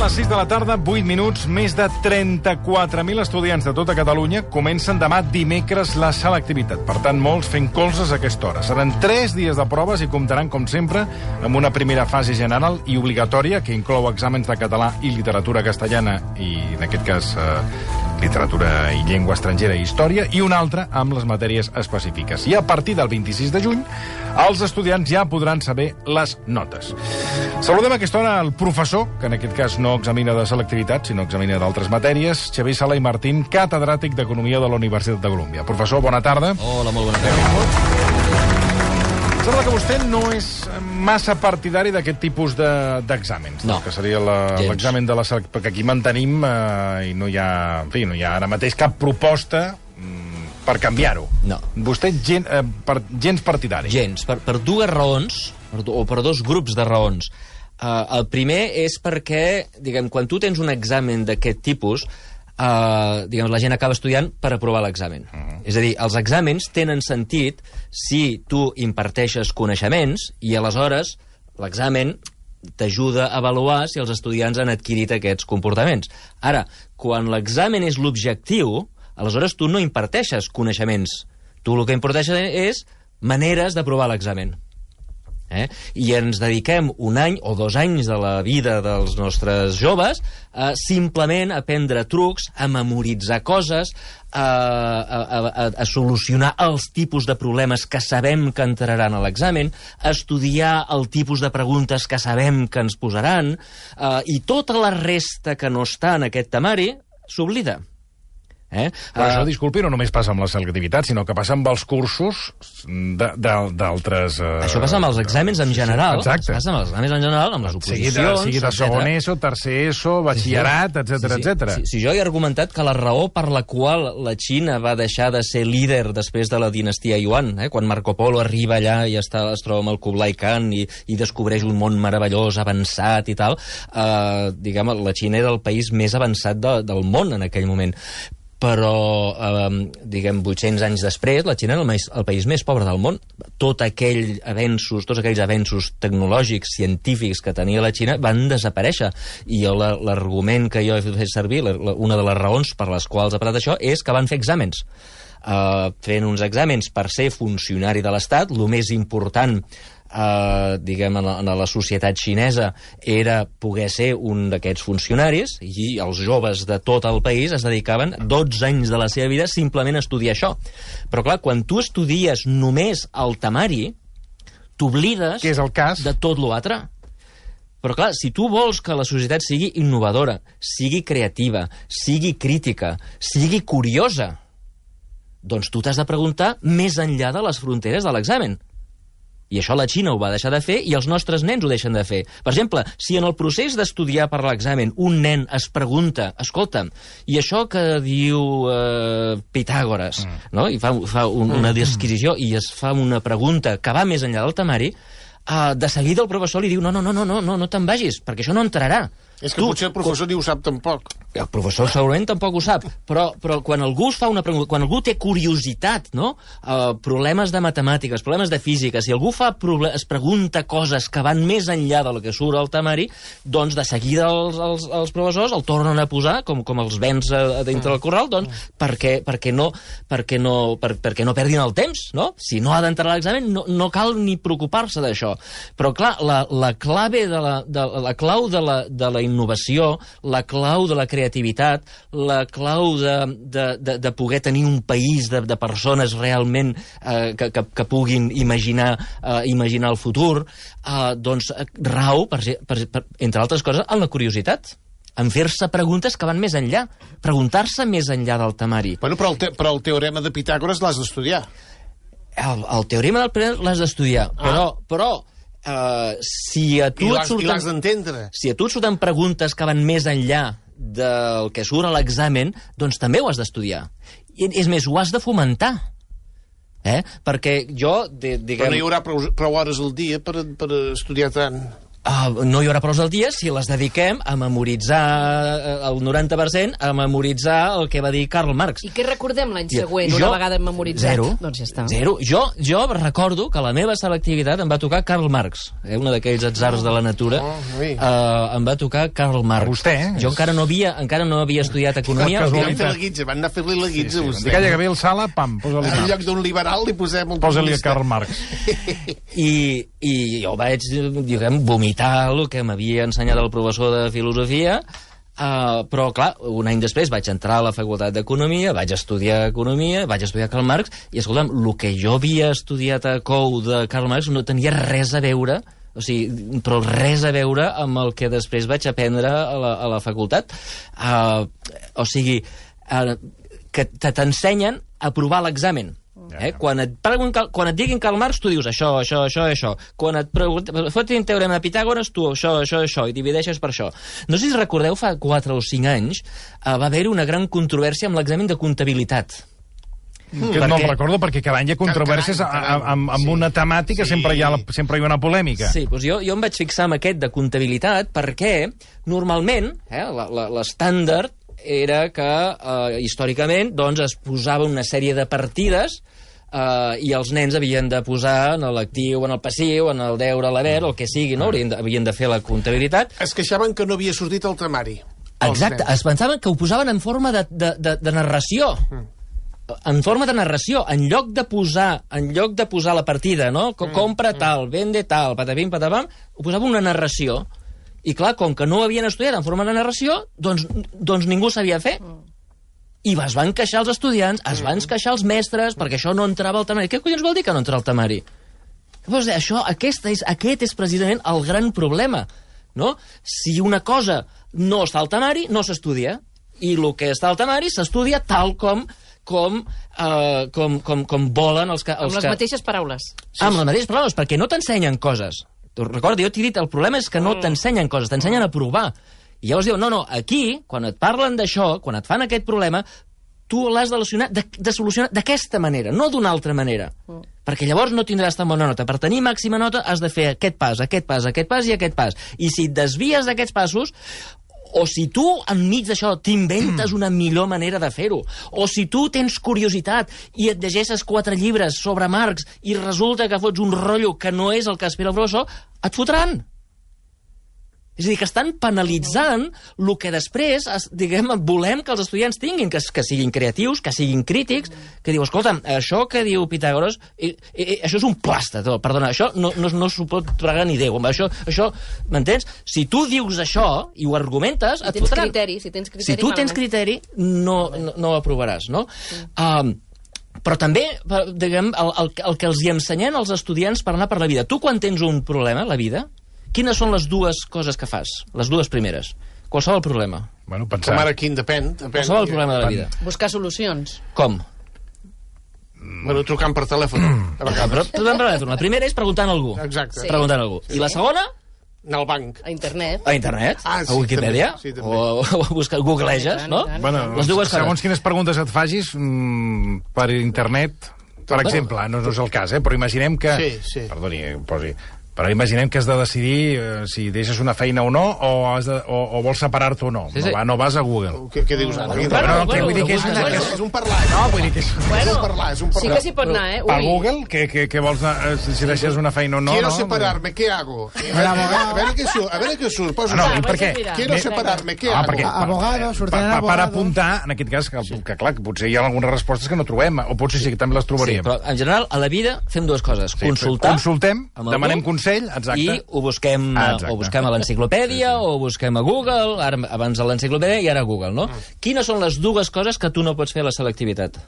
les 6 de la tarda, 8 minuts, més de 34.000 estudiants de tota Catalunya comencen demà dimecres la selectivitat. Per tant, molts fent colzes a aquesta hora. Seran 3 dies de proves i comptaran, com sempre, amb una primera fase general i obligatòria que inclou exàmens de català i literatura castellana i, en aquest cas, literatura i llengua estrangera i història, i una altra amb les matèries específiques. I a partir del 26 de juny, els estudiants ja podran saber les notes. Saludem a aquesta hora el professor, que en aquest cas no examina de selectivitat, sinó examina d'altres matèries, Xavier Sala i Martín, catedràtic d'Economia de la Universitat de Colúmbia. Professor, bona tarda. Hola, molt bona tarda. Sembla que vostè no és massa partidari d'aquest tipus d'exàmens, no, que seria l'examen de la selectivitat, perquè aquí mantenim i no hi ha, en fi, no hi ha ara mateix cap proposta per canviar-ho. No. Vostè gens partidari. Gens, per dues raons, o per dos grups de raons. El primer és perquè, diguem, quan tu tens un examen d'aquest tipus, diguem, la gent acaba estudiant per aprovar l'examen. És a dir, els exàmens tenen sentit si tu imparteixes coneixements i aleshores l'examen t'ajuda a avaluar si els estudiants han adquirit aquests comportaments. Ara, quan l'examen és l'objectiu, aleshores tu no imparteixes coneixements. Tu el que imparteixes és maneres d'aprovar l'examen. I ens dediquem 1 any o 2 anys de la vida dels nostres joves a simplement aprendre trucs, a memoritzar coses, a solucionar els tipus de problemes que sabem que entraran a l'examen, a estudiar el tipus de preguntes que sabem que ens posaran, i tota la resta que no està en aquest temari s'oblida. Però això, disculpi, no només passa amb la selectivitat, sinó que passa amb els cursos d'altres... Això passa amb els exàmens en general. Exacte. Passa amb els exàmens en general, amb les oposicions... Sigui de segon ESO, tercer ESO, batxillerat, etc. Si jo he argumentat que la raó per la qual la Xina va deixar de ser líder després de la dinastia Yuan, quan Marco Polo arriba allà i es troba amb el Kublai Khan i descobreix un món meravellós, avançat i tal, diguem, la Xina era el país més avançat del món en aquell moment. Però, diguem, 800 anys després, la Xina era el país més pobre del món. Tots aquells avenços tecnològics, científics que tenia la Xina van desaparèixer. I l'argument que jo he fet servir, una de les raons per les quals ha parlat això, és que van fer exàmens. Fent uns exàmens per ser funcionari de l'Estat, el més important diguem, en la societat xinesa era poder ser un d'aquests funcionaris, i els joves de tot el país es dedicaven 12 anys de la seva vida simplement a estudiar això. Però clar, quan tu estudies només el temari, t'oblides de tot l'altre. Però clar, si tu vols que la societat sigui innovadora, sigui creativa, sigui crítica, sigui curiosa, doncs tu t'has de preguntar més enllà de les fronteres de l'examen. I això la Xina ho va deixar de fer i els nostres nens ho deixen de fer. Per exemple, si en el procés d'estudiar per l'examen un nen es pregunta, escolta'm, i això que diu Pitàgores, no? I fa una disquisició i es fa una pregunta que va més enllà del temari, de seguida el professor li diu no te'n vagis, perquè això no entrarà. És que potser el professor ni ho sap tampoc. El professor segurament tampoc ho sap, però quan algú es fa una pregunta, quan algú té curiositat, no? Problemes de matemàtiques, problemes de física, si algú es pregunta coses que van més enllà del que surt al temari, doncs de seguida els professors el tornen a posar, com els vents dintre del corral, doncs perquè no perdin el temps, no? Si no ha d'entrar a l'examen, no cal ni preocupar-se d'això. Però, clar, la clau de la innovació, la clau de la creativitat, la clau de poder tenir un país de persones realment que puguin imaginar el futur, doncs rau, entre altres coses, en la curiositat, en fer-se preguntes que van més enllà, preguntar-se més enllà del temari. Bueno, però el teorema de Pitàgores l'has d'estudiar. El teorema del Pitàgores l'has d'estudiar, però si a tu l'has d'entendre. Si a tu et surten preguntes que van més enllà del que surt a l'examen, doncs també ho has d'estudiar. És més, ho has de fomentar. Perquè jo, diguem... Però no hi haurà prou hores al dia per estudiar tant. No hi haurà proves al dia si les dediquem a memoritzar el 90%, a memoritzar el que va dir Karl Marx. I què recordem l'any següent, una vegada memoritzat? Zero. Doncs ja està. Zero. Jo recordo que a la meva selectivitat em va tocar Karl Marx, una d'aquells atzars de la natura. Em va tocar Karl Marx. A vostè, Jo encara no havia estudiat economia. Van fer la guitza, van anar a fer-li la guitza. Si calla Gabriel Sala, pam, posa-li En Marx. lloc d'un liberal li posem un Posa-li a comunista. Karl Marx. I jo vaig, diguem, vomitar el que m'havia ensenyat el professor de filosofia, però, clar, un any després vaig entrar a la facultat d'Economia, vaig estudiar Economia, vaig estudiar Karl Marx, i, escolta'm, el que jo havia estudiat a COU de Karl Marx no tenia res a veure, però res a veure amb el que després vaig aprendre a la facultat. Que t'ensenyen a provar l'examen. Quan et diguin Karl Marx, tu dius això. Quan et fotin teorema de Pitàgores, tu això, i divideixes per això. No sé si recordeu, fa 4 o 5 anys va haver-hi una gran controvèrsia amb l'examen de comptabilitat. Que no el recordo, perquè cada any hi ha controvèrsies amb una temàtica, sempre hi ha una polèmica. Sí, doncs jo em vaig fixar en aquest de comptabilitat perquè, normalment, l'estàndard era que, històricament, doncs, es posava una sèrie de partides i els nens havien de posar en l'actiu, en el passiu, en el deure, a l'haver, el que sigui, no? Havien de fer la comptabilitat. Es queixaven que no havia sortit el temari. Exacte, es pensaven que ho posaven en forma de narració. En forma de narració, en lloc de posar la partida, no? Compra tal, vende tal, patapim, patapam, ho posava una narració. I clar, com que no ho havien estudiat en forma de narració, doncs ningú sabia fer. I es van queixar els estudiants, es van queixar els mestres, perquè això no entrava al temari. Què collons vol dir que no entra al temari? Doncs aquest és precisament el gran problema, no? Si una cosa no està al temari, no s'estudia. I el que està al temari s'estudia tal com volen els que... Amb les mateixes paraules. Amb les mateixes paraules, perquè no t'ensenyen coses. Recorda, jo t'he dit, el problema és que no t'ensenyen coses, t'ensenyen a provar. I llavors diu, no, aquí, quan et parlen d'això, quan et fan aquest problema, tu l'has de solucionar d'aquesta manera, no d'una altra manera. Perquè llavors no tindràs tan bona nota. Per tenir màxima nota has de fer aquest pas i aquest pas. I si et desvies d'aquests passos, o si tu, enmig d'això, t'inventes una millor manera de fer-ho, o si tu tens curiositat i et llegeixes 4 llibres sobre Marx i resulta que fots un rotllo que no és el que espera el professor, et fotran. És a dir, que estan penalitzant el que després, diguem, volem que els estudiants tinguin, que siguin creatius, que siguin crítics, que diu, escolta'm, això que diu Pitàgores, això és un plasta, perdona, això no s'ho pot tragar ni Déu. Això, m'entens? Si tu dius això i ho argumentes, et fotran. Si tu tens criteri, no ho aprovaràs, no? Però també, diguem, el que els hi ensenyen als estudiants per anar per la vida. Tu, quan tens un problema a la vida, quines són les 2 coses que fas? Les 2 primeres. Qualsevol problema. Bueno, pensar. Com ara quin depèn. Qualsevol problema de la vida. Buscar solucions. Com? Bueno, trucant per telèfon. La primera és preguntant a algú. Exacte. Sí. Preguntant a algú. I la segona? Anar al banc. A internet. A internet? Ah, sí, a Wikipedia? també, sí, també. O a buscar, googleges, no? Bueno, les 2 coses. segons quines preguntes et facis per internet, per exemple, no és el cas, però imaginem que... Sí. Perdoni, posi... Però imaginem que has de decidir si deixes una feina o no, o vols separar-te o no. Sí. No vas a Google. Què dius ara? Vull dir que És un parlar. No, vull dir que és... És un parlar. Sí que s'hi pot anar, Per Google, què vols si deixes una feina o no? Quiero separarme, ¿qué hago? A ver què surt. Posa per què? Quiero separarme, ¿qué hago? Abogado, sortint abogado. Per apuntar, en aquest cas, que clar, que potser hi ha algunes respostes que no trobem, o potser sí que també les trobaríem. Sí, però en general, a la vida fem 2 coses. Consultem, demanem consell, exacte. I ho busquem a l'enciclopèdia, o ho busquem a Google, abans a l'enciclopèdia i ara a Google, no? Quines són les 2 coses que tu no pots fer a la selectivitat?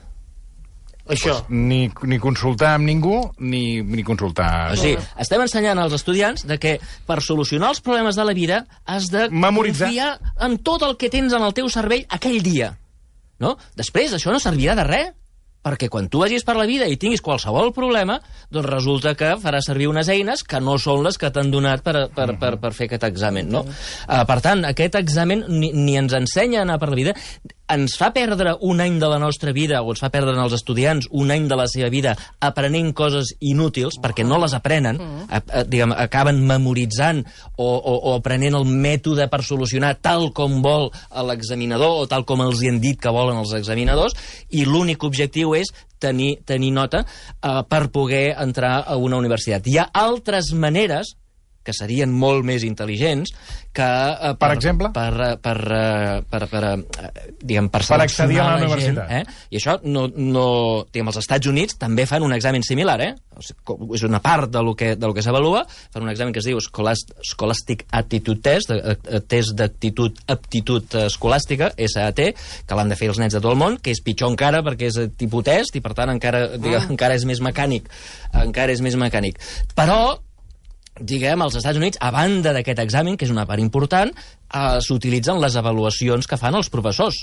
Això. Ni consultar amb ningú, ni consultar... O sigui, estem ensenyant als estudiants de que per solucionar els problemes de la vida has de memoritzar. confiar en tot el que tens en el teu cervell aquell dia. No? Després, això no servirà de res. perquè quan tu vagis per la vida i tinguis qualsevol problema, doncs resulta que faràs servir unes eines que no són les que t'han donat per fer aquest examen, no? Per tant, aquest examen ni ens ensenya a anar per la vida, ens fa perdre un any de la nostra vida, o ens fa perdre als estudiants un any de la seva vida aprenent coses inútils, perquè no les aprenen, acaben memoritzant o aprenent el mètode per solucionar tal com vol l'examinador o tal com els hi han dit que volen els examinadors, i l'únic objectiu és tenir nota per poder entrar a una universitat. Hi ha altres maneres que serien molt més intel·ligents que... Per exemple? Per accedir a la universitat. I això, els Estats Units també fan un examen similar, és una part del que s'avalua, fan un examen que es diu Scholastic Aptitude Test, test d'aptitud escolàstica, SAT, que l'han de fer els nens de tot el món, que és pitjor encara perquè és tipus test i per tant encara és més mecànic. Però als Estats Units, a banda d'aquest examen, que és una part important, s'utilitzen les avaluacions que fan els professors,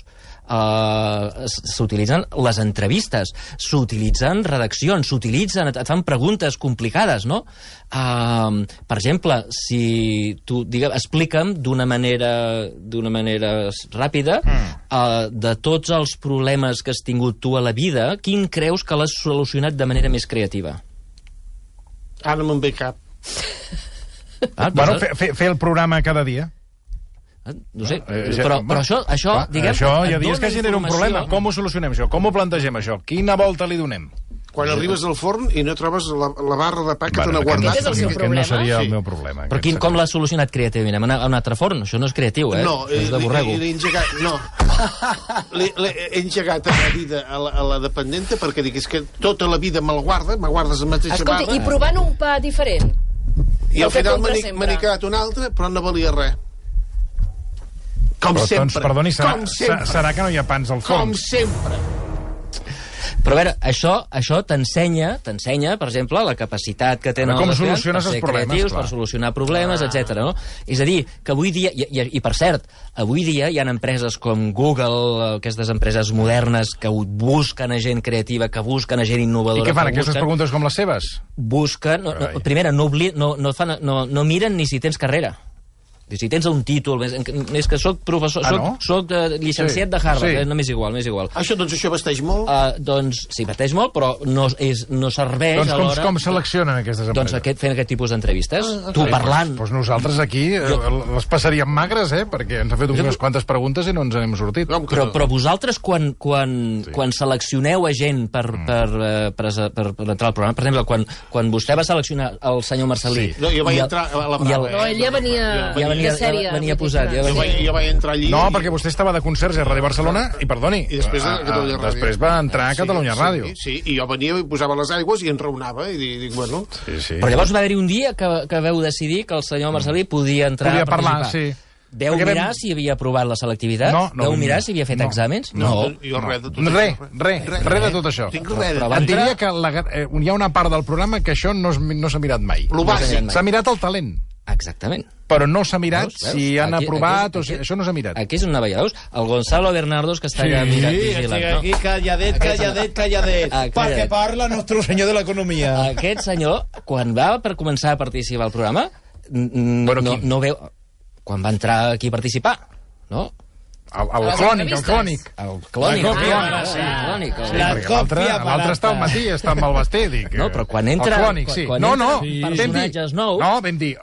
s'utilitzen les entrevistes, s'utilitzen redaccions, et fan preguntes complicades, no? Per exemple, si tu, explica'm d'una manera ràpida, de tots els problemes que has tingut tu a la vida, quin creus que l'has solucionat de manera més creativa? Ara no me'n ve cap. Fer el programa cada dia. No sé, però això diguem... Això hi ha dies que genera un problema. Com ho solucionem, això? Com ho plantegem, això? Quina volta li donem? Quan arribes al forn i no trobes la barra de pa que t'han guardat. Aquest és el seu problema. No seria el meu problema. Però com l'has solucionat creativament? Hem anat a un altre forn? Això no és creatiu, No, és de borrego. L'he engegat a la vida a la dependenta perquè dic, és que tota la vida me'l guardes la mateixa barra. Escolta, i provant un pa diferent? I al final me n'he quedat un altre, però no valia res. Com sempre. Perdoni, serà que no hi ha pans al forn? Com sempre. Però a veure, això t'ensenya, per exemple, la capacitat que tenen els estudiants per ser creatius, per solucionar problemes, etc. No? És a dir, que avui dia, i per cert, avui dia hi ha empreses com Google, aquestes empreses modernes que busquen a gent creativa, que busquen a gent innovadora. I què fan, aquestes preguntes com les seves? Busquen, primera, no miren ni si tens carrera. Si tens un títol, és que soc professor, soc llicenciat de Harvard, no m'és igual. Això vesteix molt? Doncs sí, vesteix molt, però no serveix alhora... Com seleccionen aquestes empreses? Doncs fent aquest tipus d'entrevistes, tu parlant... Doncs nosaltres aquí les passaríem magres, perquè ens ha fet unes quantes preguntes i no ens n'hem sortit. Però vosaltres, quan seleccioneu a gent per entrar al programa, per exemple, quan vostè va seleccionar el senyor Marcelí... No, jo vaig entrar a la prova. No, ell ja venia posat. Jo vaig entrar allí... No, perquè vostè estava de conserge a Ràdio Barcelona i, perdoni, i després va entrar a Catalunya Ràdio. Sí, i jo venia i posava les aigües i enraonava, i dic, bueno... Però llavors va haver-hi un dia que veu decidir que el senyor Marcelí podia entrar a participar. Podia parlar, sí. Veu mirar si havia aprovat la selectivitat? Veu mirar si havia fet exàmens? No. Res de tot això. Et diria que hi ha una part del programa que això no s'ha mirat mai. S'ha mirat el talent. Exactament. Però no s'ha mirat si han aprovat o si... Això no s'ha mirat. Aquí és una veia, veus? El Gonzalo Bernardos, que està allà mirat vigilant. Aquí calladet, perquè parla nostre senyor de l'economia. Aquest senyor, quan va per començar a participar al programa, no veu... Quan va entrar aquí a participar, no? El clònic. L'altre està al matí, està amb el vestit. No, però quan entra... El clònic, sí. Personatges nous,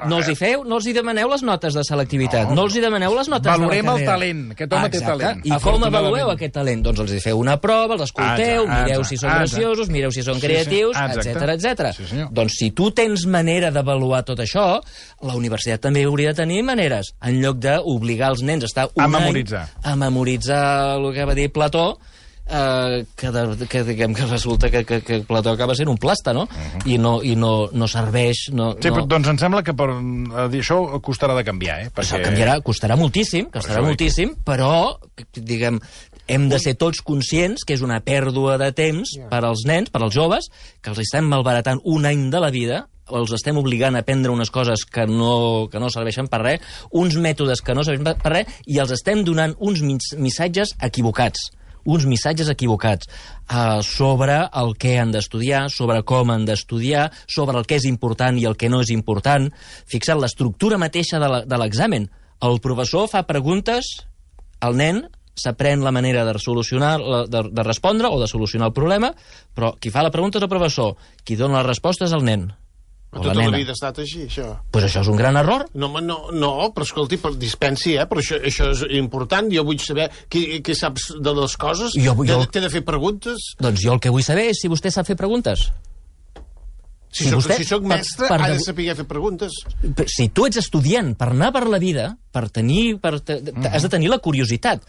no els hi demaneu les notes de selectivitat, no els hi demaneu les notes de la carrera. Valorem el talent, aquest home té talent. I com avalueu aquest talent? Doncs els hi feu una prova, els escolteu, mireu si són graciosos, mireu si són creatius, etc. Doncs si tu tens manera d'avaluar tot això, la universitat també hauria de tenir maneres, en lloc d'obligar els nens a estar un any a memoritzar el que va dir Plató, que diguem que resulta que Plató acaba sent un plasta, no? I no serveix... Sí, però doncs em sembla que això costarà de canviar, Això costarà moltíssim, però, diguem, hem de ser tots conscients que és una pèrdua de temps per als nens, per als joves, que els estem malbaratant un any de la vida, els estem obligant a aprendre unes coses que no serveixen per res, uns mètodes que no serveixen per res, i els estem donant uns missatges equivocats. uns missatges equivocats sobre el què han d'estudiar, sobre com han d'estudiar, sobre el que és important i el que no és important. Fixa't, l'estructura mateixa de l'examen. El professor fa preguntes, el nen s'aprèn la manera de solucionar, de respondre o de solucionar el problema, però qui fa la pregunta és el professor, qui dona les respostes és el nen. Tota la vida ha estat així, això. Pues això és un gran error. No, però escolti, dispensi, però això és important. Jo vull saber què saps de les coses. T'he de fer preguntes. Doncs jo el que vull saber és si vostè sap fer preguntes. Si soc mestre, ha de saber fer preguntes. Si tu ets estudiant per anar per la vida, has de tenir la curiositat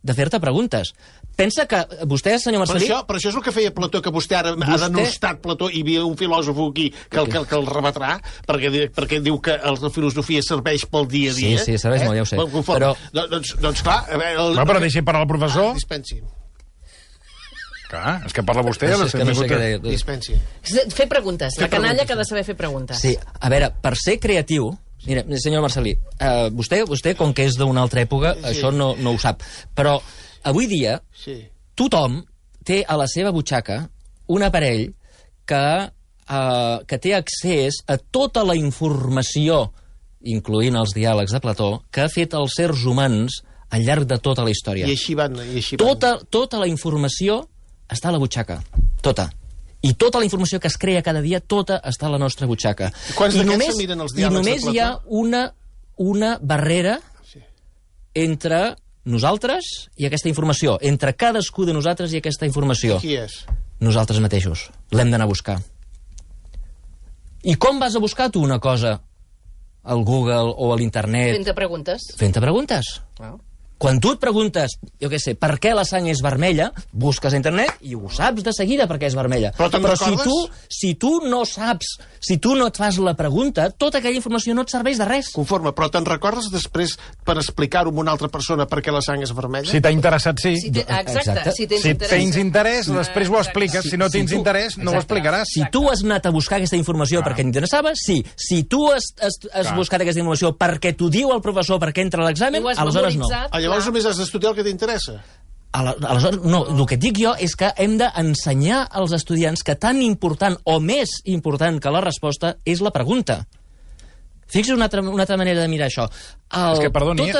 de fer-te preguntes. Pensa que vostè, senyor Marcelí... Però això és el que feia Plató, que vostè ara ha denostat Plató, i hi havia un filòsof aquí que el rebatrà, perquè diu que la filosofia serveix pel dia a dia. Sí, serveix molt, ja ho sé. Però... Doncs clar... Però deixi parlar el professor. Dispensi. Clar, és que parla vostè... No sé què deia. Dispensi. Fer preguntes. La canalla que ha de saber fer preguntes. Sí, a veure, per ser creatiu... Mira, senyor Marcelí, vostè, com que és d'una altra època, això no ho sap. Però avui dia, tothom té a la seva butxaca un aparell que té accés a tota la informació, incloent els diàlegs de Plató, que ha fet els éssers humans al llarg de tota la història. I així van. Tota la informació està a la butxaca. Tota. I tota la informació que es crea cada dia, tota està a la nostra butxaca. Quants d'aquests miren els diàlegs de Plató? I només hi ha una barrera entre nosaltres i aquesta informació, entre cadascú de nosaltres i aquesta informació. Qui és? Nosaltres mateixos. L'hem d'anar a buscar. I com vas a buscar tu una cosa al Google o a l'internet? Fent-te preguntes. Fent-te preguntes. Quan tu et preguntes, jo què sé, per què la sang és vermella, busques a internet i ho saps de seguida per què és vermella. Però si tu no saps, si tu no et fas la pregunta, tota aquella informació no et serveix de res. Conforme, però te'n recordes després per explicar-ho a una altra persona per què la sang és vermella? Si t'ha interessat, sí. Exacte. Si tens interès, després ho expliques. Si no tens interès, no ho explicaràs. Si tu has anat a buscar aquesta informació perquè t'interessava, sí. Si tu has buscat aquesta informació perquè t'ho diu el professor perquè entra a l'examen, aleshores no. Llavors només has d'estudiar el que t'interessa. Aleshores, no, el que et dic jo és que hem d'ensenyar als estudiants que tan important o més important que la resposta és la pregunta. Fixa't una altra manera de mirar això. És que, perdoni,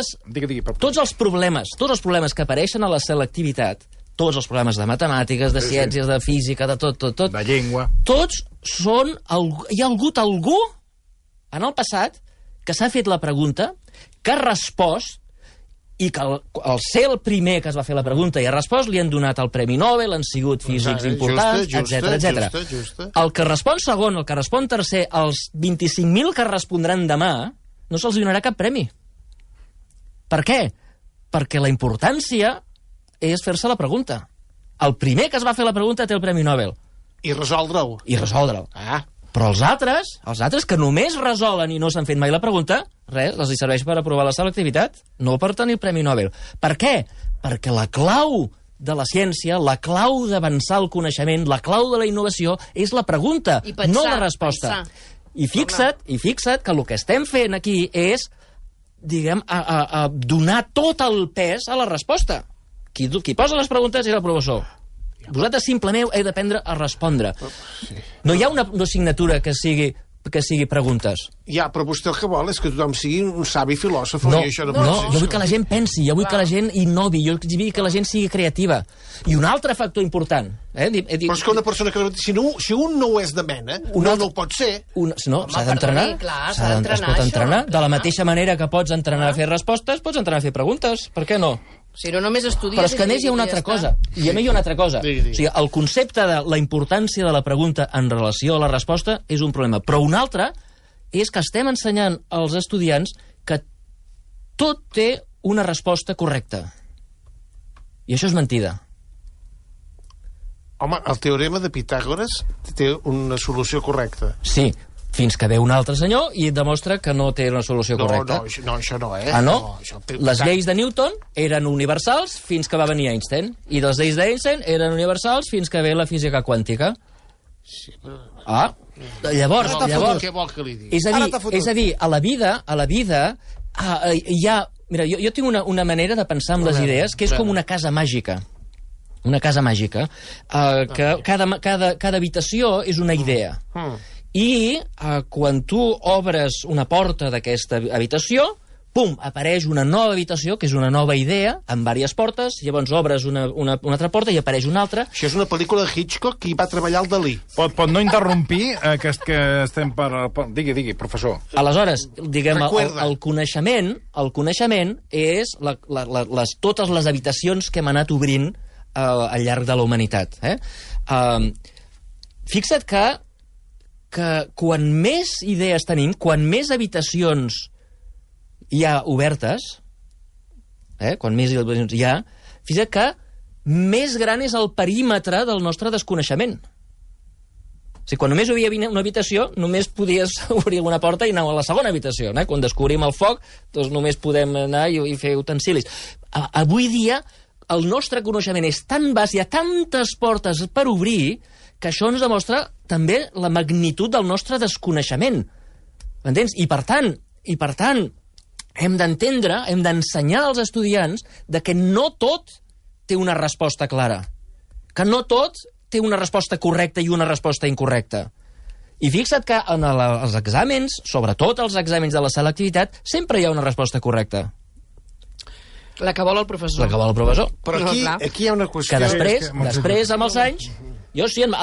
tots els problemes que apareixen a la selectivitat, tots els problemes de matemàtiques, de ciències, de física, de tot... De llengua. Tots són... Hi ha hagut algú en el passat que s'ha fet la pregunta, que ha respost, i que al ser el primer que es va fer la pregunta i ha respost, li han donat el Premi Nobel, han sigut físics importants, etc. El que respon segon, el que respon tercer, els 25.000 que respondran demà, no se'ls donarà cap premi. Per què? Perquè la importància és fer-se la pregunta. El primer que es va fer la pregunta té el Premi Nobel. I resoldre-ho. Però els altres que només resolen i no s'han fet mai la pregunta, res, els hi serveix per aprovar la selectivitat, no per tenir el Premi Nobel. Per què? Perquè la clau de la ciència, la clau d'avançar el coneixement, la clau de la innovació és la pregunta, no la resposta. I fixa't que el que estem fent aquí és, diguem, donar tot el pes a la resposta. Qui posa les preguntes és el professor. Vosaltres simplement heu d'aprendre a respondre. No hi ha una assignatura que sigui preguntes. Ja, però vostè el que vol és que tothom sigui un savi filòsof. No, jo vull que la gent pensi, jo vull que la gent innovi, jo vull que la gent sigui creativa. I un altre factor important... Però és que una persona que... Si un no ho és de mena, no ho pot ser. No, s'ha d'entrenar. Es pot entrenar. De la mateixa manera que pots entrenar a fer respostes, pots entrenar a fer preguntes. Per què no? Si no, només estudies... Però és que a més hi ha una altra cosa. I a més hi ha una altra cosa. O sigui, el concepte de la importància de la pregunta en relació a la resposta és un problema. Però un altre és que estem ensenyant als estudiants que tot té una resposta correcta. I això és mentida. Home, el teorema de Pitàgores té una solució correcta. Sí, fins que ve un altre senyor i demostra que no té una solució correcta. No, això no, Ah, no? Les lleis de Newton eren universals fins que va venir Einstein. I les lleis d'Einstein eren universals fins que ve la física quàntica. Llavors... Què vol que li digui? És a dir, a la vida hi ha... Mira, jo tinc una manera de pensar amb les idees que és com una casa màgica. Una casa màgica. Que cada habitació és una idea. I quan tu obres una porta d'aquesta habitació, pum, apareix una nova habitació, que és una nova idea, amb diverses portes, llavors obres una altra porta i apareix una altra. Això és una pel·lícula de Hitchcock i va treballar el Dalí. Pot no interrompir, que estem per... Digui, professor. Aleshores, diguem, el coneixement és totes les habitacions que hem anat obrint al llarg de la humanitat. Fixa't que quan més idees tenim, quan més habitacions hi ha obertes, quan més habitacions hi ha, fixa't que més gran és el perímetre del nostre desconeixement. O sigui, quan només hi havia una habitació, només podies obrir una porta i anar a la segona habitació. Quan descobrim el foc, doncs només podem anar i fer utensilis. Avui dia, el nostre coneixement és tan vast, hi ha tantes portes per obrir, que això ens demostra també la magnitud del nostre desconeixement. M'entens? I per tant, hem d'entendre, hem d'ensenyar als estudiants que no tot té una resposta clara, que no tot té una resposta correcta i una resposta incorrecta. I fixa't que en els exàmens, sobretot els exàmens de la selectivitat, sempre hi ha una resposta correcta. La que vol el professor. Però aquí hi ha una qüestió... Que després amb els anys... Jo, si en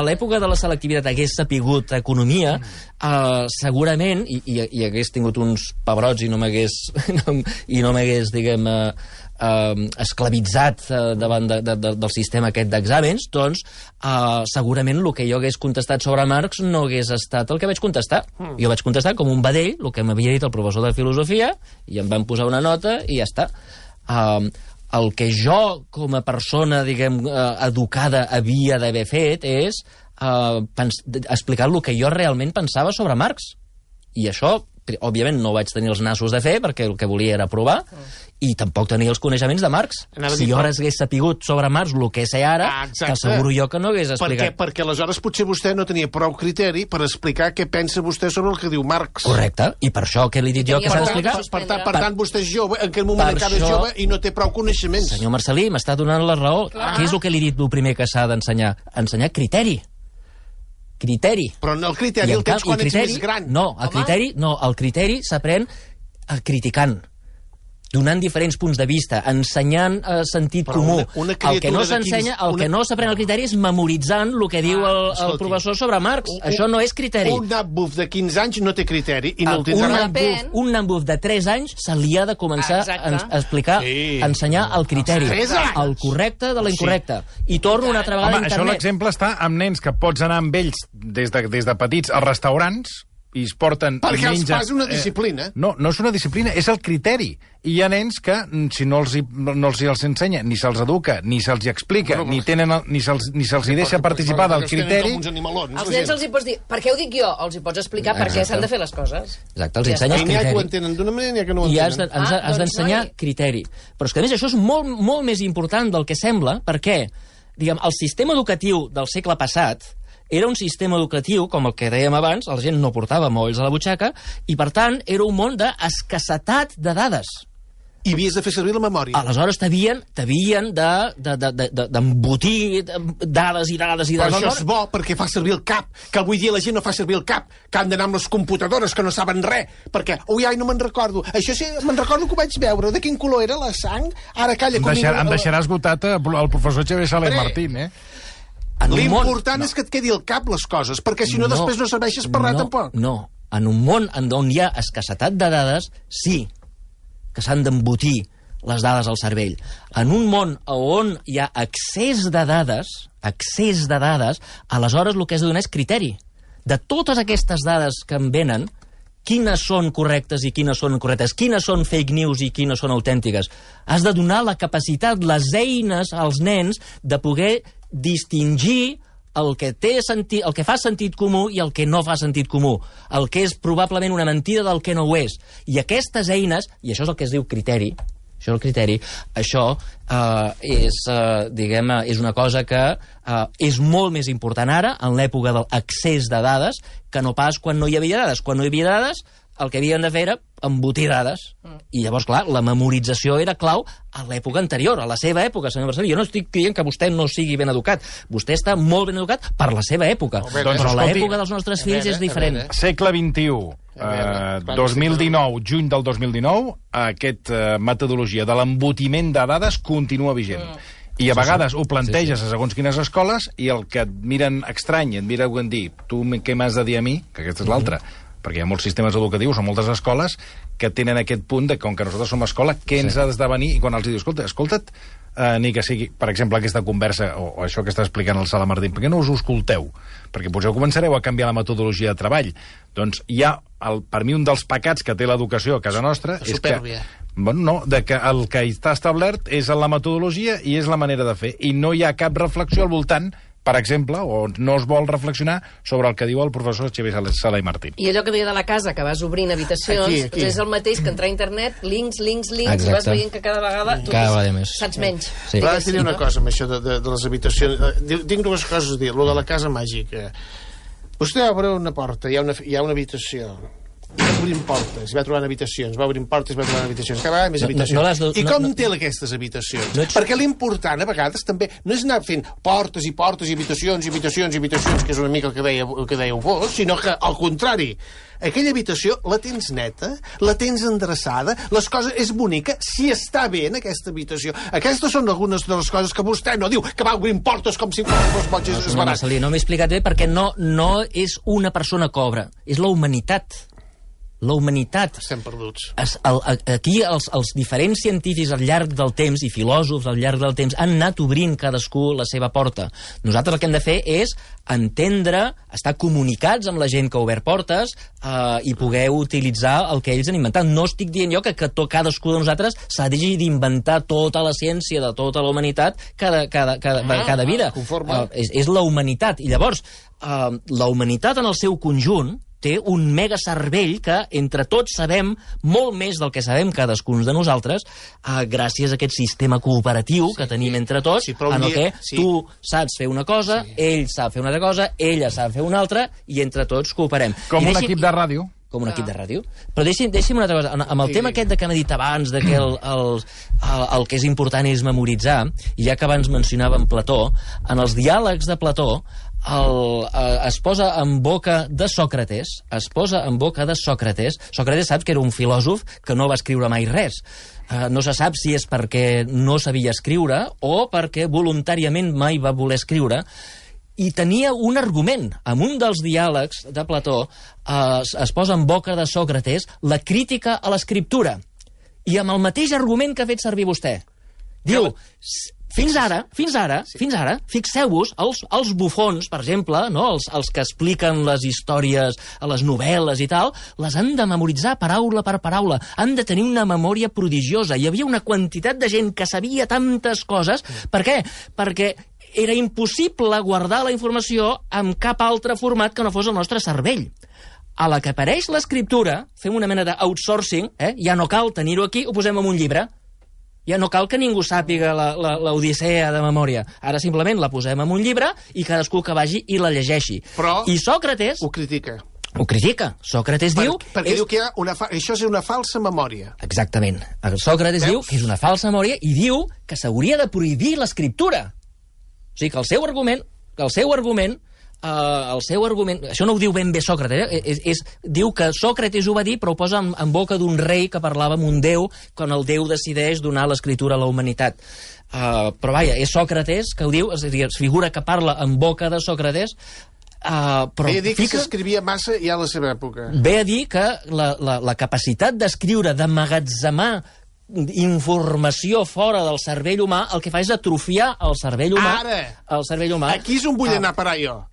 l'època de la selectivitat hagués sapigut economia, segurament, i hagués tingut uns pebrots i no m'hagués, diguem, esclavitzat davant del sistema aquest d'exàmens, doncs segurament el que jo hagués contestat sobre Marx no hagués estat el que vaig contestar. Jo vaig contestar com un vedell, el que m'havia dit el professor de filosofia, i em van posar una nota i ja està. El que jo, com a persona, diguem, educada, havia d'haver fet és explicar el que jo realment pensava sobre Marx. I això, òbviament, no vaig tenir els nassos de fer, perquè el que volia era provar, i tampoc tenia els coneixements de Marx. Si jo ara hagués sapigut sobre Marx el que sé ara, t'asseguro jo que no hagués explicat. Perquè aleshores potser vostè no tenia prou criteri per explicar què pensa vostè sobre el que diu Marx. Correcte, i per això que li he dit jo que s'ha d'explicar. Per tant, vostè és jove, en aquell moment encara és jove i no té prou coneixements. Senyor Marcelí, m'està donant la raó. Què és el que li he dit el primer que s'ha d'ensenyar? Ensenyar criteri. Però el criteri el tens quan ets més gran. No, el criteri s'aprèn criticant, donant diferents punts de vista, ensenyant sentit comú. El que no s'ensenya, el que no s'aprèn al criteri és memoritzant el que diu el professor sobre Marx. Això no és criteri. Un nabuf de 15 anys no té criteri i no el tindrà. Un nabuf de 3 anys se li ha de començar a explicar, a ensenyar el criteri. El correcte de l'incorrecte. I torno una altra vegada a internet. Això l'exemple està amb nens que pots anar amb ells des de petits als restaurants i es porten... Perquè els fas una disciplina. No és una disciplina, és el criteri. I hi ha nens que, si no els ensenya, ni se'ls educa, ni se'ls explica, ni se'ls deixa participar del criteri... Els nens els hi pots dir, per què ho dic jo? Els hi pots explicar per què s'han de fer les coses. Exacte, els ensenyes criteri. N'hi ha que ho entenen d'una manera, n'hi ha que no ho entenen. I has d'ensenyar criteri. Però és que, a més, això és molt més important del que sembla, perquè, diguem, el sistema educatiu del segle passat era un sistema educatiu, com el que dèiem abans, la gent no portava mòbils a la butxaca, i, per tant, era un món d'escassetat de dades. I havies de fer servir la memòria. Aleshores t'havien d'embotir dades i dades i dades. Però això és bo, perquè fa servir el cap, que avui dia la gent no fa servir el cap, que han d'anar amb les computadores, que no saben res, perquè, no me'n recordo. Això sí, me'n recordo que ho vaig veure. De quin color era la sang? Ara calla... Em deixarà esgotat el professor Xavier Saler Martín, L'important és que et quedi al cap les coses, perquè si no després no serveixes per res tampoc. No, en un món on hi ha escassetat de dades, sí que s'han d'embotir les dades al cervell. En un món on hi ha excés de dades, aleshores el que has de donar és criteri. De totes aquestes dades que em venen, quines són correctes i quines són incorrectes, quines són fake news i quines són autèntiques. Has de donar la capacitat, les eines als nens de poder distingir el que té sentit, el que fa sentit comú i el que no fa sentit comú, el que és probablement una mentida del que no ho és. I aquestes eines, i això és el que es diu criteri, això és una cosa que és molt més important ara, en l'època de l'accés de dades, que no pas quan no hi havia dades. Quan no hi havia dades, el que havien de fer era embotir dades. I llavors, clar, la memorització era clau a l'època anterior, a la seva època, senyor Marcelí. Jo no estic dient que vostè no sigui ben educat. Vostè està molt ben educat per la seva època. Però l'època dels nostres fills és diferent. Segle XXI, 2019, juny del 2019, aquesta metodologia de l'embotiment de dades continua vigent. I a vegades ho planteges a segons quines escoles i el que et miren estrany, et miren dir, tu què m'has de dir a mi? Que aquesta és l'altra. Perquè hi ha molts sistemes educatius o moltes escoles que tenen aquest punt de, com que nosaltres som escola, què ens ha d'esdevenir? I quan els dius, escolta't, ni que sigui, per exemple, aquesta conversa, o això que està explicant el Sala Martín, per què no us ho escolteu? Perquè potser començareu a canviar la metodologia de treball. Doncs hi ha, per mi, un dels pecats que té l'educació a casa nostra és que... Bueno, no, que el que està establert és la metodologia i és la manera de fer. I no hi ha cap reflexió al voltant, per exemple, o no es vol reflexionar sobre el que diu el professor Xavier Sala i Martín. I allò que deia de la casa, que vas obrint habitacions, aquí. És el mateix que entrar a internet, links, i vas veient que cada vegada tu saps menys. Sí. Però ara et diré una cosa amb això de les habitacions. Tinc dues coses a dir. Lo de la casa màgica. Vostè obre una porta, hi ha una habitació. I va obrint portes, va trobant habitacions, va obrint portes, va trobant habitacions, cada vegada més habitacions. I com té aquestes habitacions? Perquè l'important, a vegades, també, no és anar fent portes i portes i habitacions, que és una mica el que dèieu vos, sinó que, al contrari, aquella habitació la tens neta, la tens endreçada, les coses és bonica, si està bé en aquesta habitació. Aquestes són algunes de les coses que vostè no diu, que va obrint portes com si fos boig esbarat. No m'he explicat bé perquè no és una persona que obre, és la humanitat. La humanitat. Estem perduts. Aquí els diferents científics al llarg del temps i filòsofs al llarg del temps han anat obrint cadascú la seva porta. Nosaltres el que hem de fer és entendre, estar comunicats amb la gent que ha obert portes i poder utilitzar el que ells han inventat. No estic dient jo que cadascú de nosaltres s'ha d'inventar tota la ciència de tota la humanitat cada vida. És la humanitat. I llavors, la humanitat en el seu conjunt té un mega cervell que entre tots sabem molt més del que sabem cadascun de nosaltres gràcies a aquest sistema cooperatiu que tenim entre tots, en el que tu saps fer una cosa, ell sap fer una altra cosa, ella sap fer una altra i entre tots cooperem. Com un equip de ràdio. Com un equip de ràdio. Però deixi'm una altra cosa. Amb el tema aquest que hem dit abans, de que el que és important és memoritzar, i ja que abans mencionàvem Plató, en els diàlegs de Plató es posa en boca de Sòcrates, Sòcrates saps que era un filòsof que no va escriure mai res. No se sap si és perquè no sabia escriure o perquè voluntàriament mai va voler escriure, i tenia un argument. En un dels diàlegs de Plató es posa en boca de Sòcrates la crítica a l'escriptura, i amb el mateix argument que ha fet servir vostè. Diu, fins ara, fixeu-vos, els bufons, per exemple, no? els que expliquen les històries a les novel·les i tal, les han de memoritzar paraula per paraula, han de tenir una memòria prodigiosa. Hi havia una quantitat de gent que sabia tantes coses. Per què? Perquè era impossible guardar la informació en cap altre format que no fos el nostre cervell. A la que apareix l'escriptura, fem una mena d'outsourcing, ja no cal tenir-ho aquí, ho posem en un llibre. Ja no cal que ningú sàpiga l'Odissea de memòria. Ara simplement la posem en un llibre i cadascú que vagi i la llegeixi. Però i Sòcrates ho critica. Ho critica. Sòcrates diu... Perquè diu que això és una falsa memòria. Exactament. Sòcrates diu que és una falsa memòria i diu que s'hauria de prohibir l'escriptura. O sigui que el seu argument, això no ho diu ben bé Sòcrates, diu que Sòcrates ho va dir, però ho posa en boca d'un rei que parlava amb un déu, quan el déu decideix donar l'escriptura a la humanitat. Però vaja, és Sòcrates que ho diu, és a dir, es figura que parla en boca de Sòcrates, però ve a dir que s'escrivia massa ja a la seva època. Ve a dir que la capacitat d'escriure, d'emmagatzemar informació fora del cervell humà, el que fa és atrofiar el cervell humà. Ara! Aquí és on vull anar a parar jo.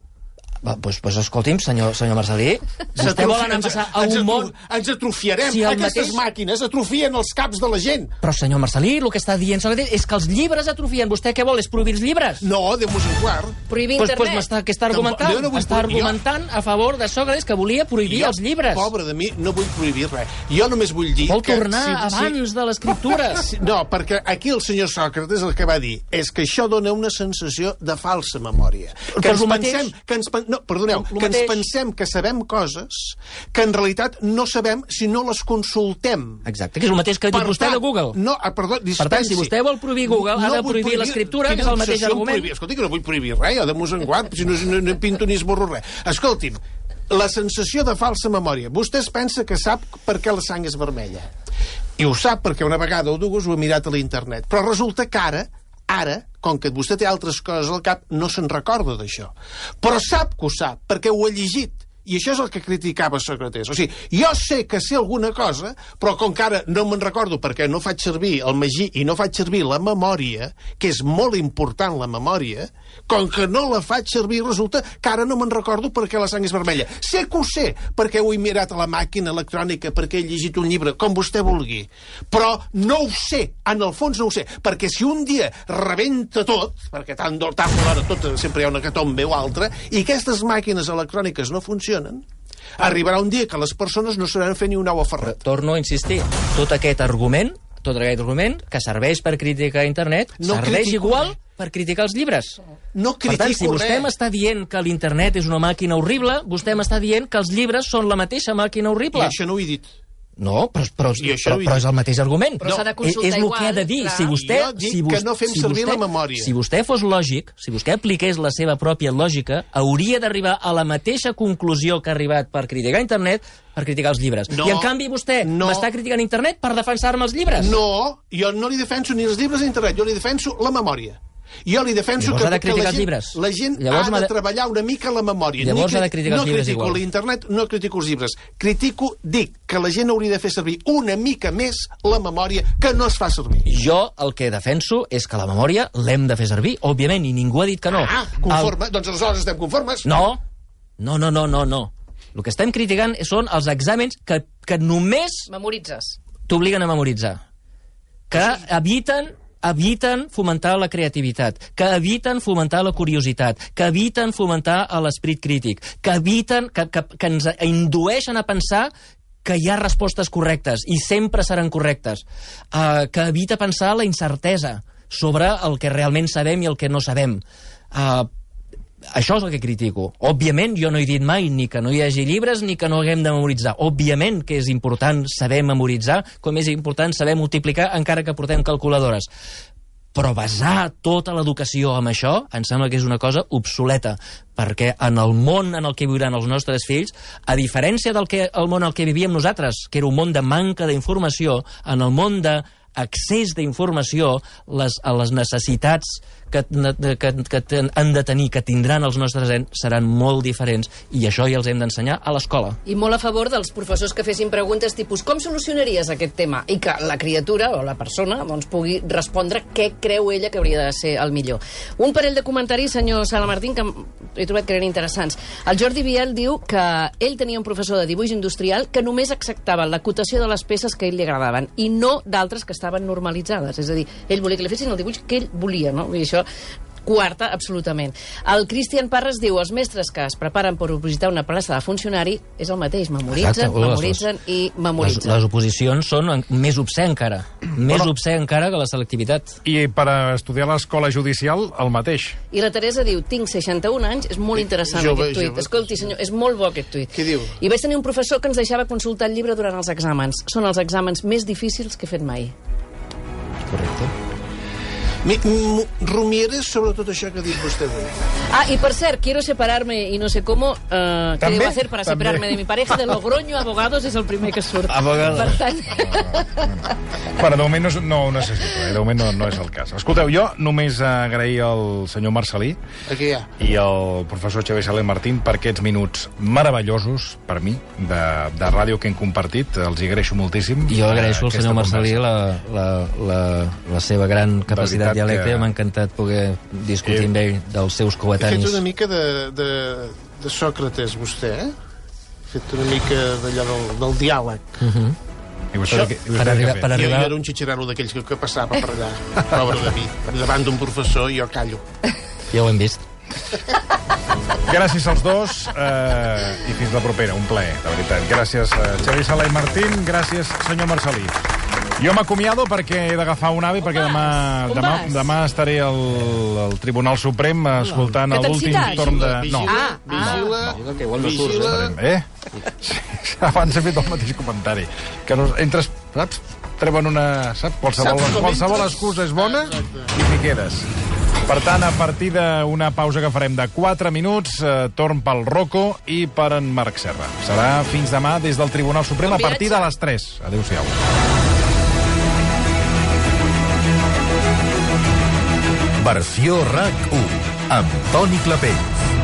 Pues escolti'm, senyor Marcelí, vostè vol anar a passar a un món... Ens atrofiarem, aquestes màquines atrofien els caps de la gent. Però, senyor Marcelí, el que està dient Sòcrates és que els llibres atrofien. Vostè què vol, és prohibir els llibres? No, Déu-nos en guard. Prohibir internet. Què està argumentant? Està argumentant a favor de Sòcrates, que volia prohibir els llibres. Pobre de mi, no vull prohibir res. Jo només vull dir... Vol tornar abans de l'escriptura. No, perquè aquí el senyor Sòcrates el que va dir és que això dona una sensació de falsa memòria. Que ens pensem... No, perdoneu, que ens pensem que sabem coses que en realitat no sabem si no les consultem. Exacte, que és el mateix que ha dit vostè de Google. No, perdó, dispensi. Per tant, si vostè vol prohibir Google, ha de prohibir l'escriptura, que és el mateix argument. Escolti, que no vull prohibir res, jo de mosenguant, si no pinto ni esborro res. Escolti'm, la sensació de falsa memòria. Vostè es pensa que sap per què la sang és vermella. I ho sap perquè una vegada o dues ho ha mirat a l'internet. Però resulta que ara, com que vostè té altres coses al cap, no se'n recorda d'això. Però sap que ho sap, perquè ho ha llegit. I això és el que criticava Sòcrates. O sigui, jo sé que sé alguna cosa, però com que ara no me'n recordo perquè no faig servir el magí i no faig servir la memòria, que és molt important la memòria, com que no la faig servir, resulta que ara no me'n recordo perquè la sang és vermella. Sé que ho sé, perquè ho he mirat a la màquina electrònica, perquè he llegit un llibre, com vostè vulgui. Però no ho sé, en el fons no ho sé, perquè si un dia rebenta tot, perquè tant d'hora tot sempre hi ha una hecatombe o altra, i aquestes màquines electròniques no funcionen, arribarà un dia que les persones no sabran fer ni un ou a ferret. Torno a insistir, tot aquest argument que serveix per criticar internet, serveix igual per criticar els llibres. No critico res. Per tant, si vostè m'està dient que l'internet és una màquina horrible, vostè m'està dient que els llibres són la mateixa màquina horrible. I això no ho he dit. No, però és el mateix argument. Però s'ha de consultar és el que ha de dir. Jo dic que no fem servir la memòria. Si vostè fos lògic, si vostè apliqués la seva pròpia lògica, hauria d'arribar a la mateixa conclusió que ha arribat per criticar internet, per criticar els llibres. I en canvi vostè m'està criticant internet per defensar-me els llibres. No, jo no li defenso ni els llibres ni internet, jo li defenso la memòria. Jo li defenso que la gent ha de treballar una mica la memòria. Llavors ha de criticar els llibres igual. No critico l'internet, no critico els llibres. Dic que la gent hauria de fer servir una mica més la memòria que no es fa servir. Jo el que defenso és que la memòria l'hem de fer servir, òbviament, i ningú ha dit que no. Conforme? Doncs aleshores estem conformes? No. El que estem criticant són els exàmens que només memoritzes. T'obliguen a memoritzar. Que eviten fomentar la creativitat, que eviten fomentar la curiositat, que eviten fomentar l'esprit crític, que ens indueixen a pensar que hi ha respostes correctes i sempre seran correctes, que evita pensar la incertesa sobre el que realment sabem i el que no sabem. Això és el que critico. Òbviament, jo no he dit mai ni que no hi hagi llibres ni que no haguem de memoritzar. Òbviament que és important saber memoritzar, com és important saber multiplicar encara que portem calculadores. Però basar tota l'educació en això em sembla que és una cosa obsoleta, perquè en el món en el que viuran els nostres fills, a diferència del món en el que vivíem nosaltres, que era un món de manca d'informació, en el món d'accés d'informació, les necessitats que han de tenir, que tindran els nostres nens, seran molt diferents, i això ja els hem d'ensenyar a l'escola. I molt a favor dels professors que fessin preguntes tipus com solucionaries aquest tema? I que la criatura o la persona pugui respondre què creu ella que hauria de ser el millor. Un parell de comentaris, senyor Sala Martín, que he trobat que eren interessants. El Jordi Biel diu que ell tenia un professor de dibuix industrial que només acceptava l'acotació de les peces que a ell li agradaven i no d'altres que estaven normalitzades. És a dir, ell volia que li fessin el dibuix que ell volia, no? I això quarta, absolutament. El Cristian Parres diu els mestres que es preparen per opositar una plaça de funcionari és el mateix, memoritzen i memoritzen. Les oposicions són més obscè encara. Més obscè encara que la selectivitat. I per estudiar a l'escola judicial, el mateix. I la Teresa diu, tinc 61 anys, és molt interessant aquest tuit. Escolti, senyor, és molt bo aquest tuit. Què diu? I vaig tenir un professor que ens deixava consultar el llibre durant els exàmens. Són els exàmens més difícils que he fet mai. Correcte. Rumieres sobre tot això que ha dit vostè avui. Y por cert, quiero separarme y no sé cómo. ¿Qué debo hacer para separarme de mi pareja? De Logroño Abogados és el primer que surt. Abogados. Per tant... Bueno, de moment no ho necessito, de moment no és el cas. Escolteu, jo només agrair al senyor Marcelí i al professor Xavier Saler Martín per aquests minuts meravellosos, per mi, de ràdio que hem compartit. Els hi agraeixo moltíssim. Jo agraeixo al senyor Marcelí la seva gran capacitat dialecte, m'ha encantat poder discutir amb ell dels seus coetanis. Ha fet una mica de Sòcrates, vostè, eh? Ha fet una mica d'allò del diàleg. Per arribar... Jo era un xitxarano d'aquells que passava per allà, pobre de mi, davant d'un professor, i jo callo. Ja ho hem vist. Gràcies als dos i fins la propera, un plaer, de veritat. Gràcies, Xavier Sala i Martín, gràcies, senyor Marcelí. Jo m'acomiado perquè he d'agafar un AVE, perquè demà estaré al Tribunal Suprem escoltant l'últim torn de... No. Vigila. Sí, abans he fet el mateix comentari. Que entres, saps? Treuen una... Saps? Qualsevol excusa és bona i t'hi quedes. Per tant, a partir d'una pausa que farem de 4 minuts, torn pel Rocco i per en Marc Serra. Serà fins demà des del Tribunal Suprem a partir de les 3. Adéu-siau. Versió RAC 1 amb Toni Clapell.